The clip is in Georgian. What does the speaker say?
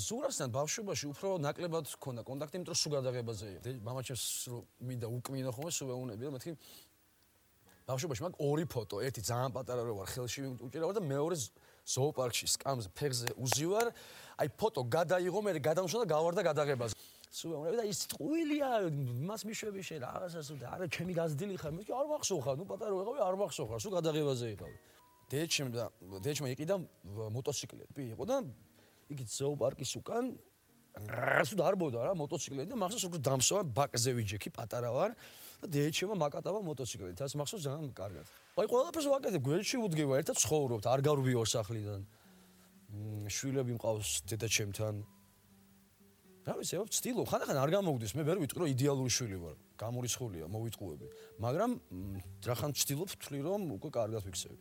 ზურასთან ბავშვობაში უფრო ნაკლებად ჰქონდა კონტაქტი, იმიტომ რომ სულ გადაღებაზე იყო. მამაჩემს მინდა უკმინო ხოლმე სულ ეუნები და მეთქი ბავშვობაში მაგ ორი ფოტო, ერთი ძალიან პატარა რო ვარ, ხელში უჭირავარ და მეორე ზოოპარკში სკამზე ფეხზე უზივარ. აი ფოტო გადაიღო, მე გადამშვა და გავარდა გადაღებაზე. სულ ეუნები და ის ტყუილია, მას მიშვები შენ რაღაცას და არა ჩემი გაზრდილი ხარ, მე არ მახსოვხარ, ნუ პატარა ვიყავი, არ მახსოვხარ, სულ გადაღებაზე იყავი. დედაჩემ იყიდა მოტოციკლები იყო და იგი ზოოპარკის უკან სულ დარბოდა რა მოტოციკლები და მახსოვს უკვე დამსვა ბაკზე ვიჯექი პატარა ვარ და დედაჩემმა მაკატავა მოტოციკლით. ასე მახსოვს ძალიან კარგად. აი ყველაფერს ვაკეთებ, გვერდში ვუდგება, ერთად ცხოვრობთ, არ გარვიო სახლიდან. შვილები მყავს დედაჩემთან. რა ვიცი, ვცდილობ, ხანდახან არ გამოგდის, მე ვერ ვიტყვი რომ იდეალური შვილი ვარ, გამორიცხულია, მოვიტყუები, მაგრამ რახან ვცდილობ ვთვლი რომ უკვე კარგად ვიქცევი.